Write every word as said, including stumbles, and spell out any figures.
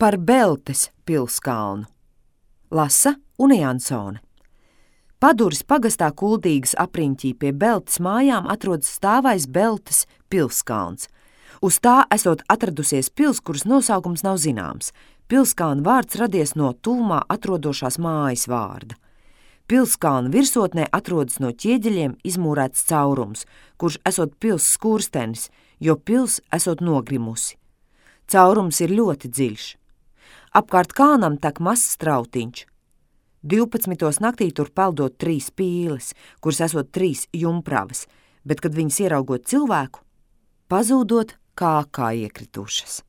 Par Beltes pilskalnu. Lasa Une Jansone. Paduris pagastā Kuldīgas apriņķī pie Beltes mājām atrodas stāvais Beltes pilskalns. Uz tā esot atradusies pils, kuras nosaukums nav zināms. Pilskalna vārds radies no tuvumā atrodošās mājas vārda. Pilskalna virsotnē atrodas no ķieģeļiem izmūrēts caurums, kurš esot pils skurstenis, jo pils esot nogrimusi. Caurums ir ļoti dziļš. Apkārt kalnam tek mazs strautiņš. Divpadsmitos naktī tur peldot trīs pīles, kuras esot trīs jumpravas, bet, kad viņas ieraugot cilvēku, pazūdot kā kā iekritušas.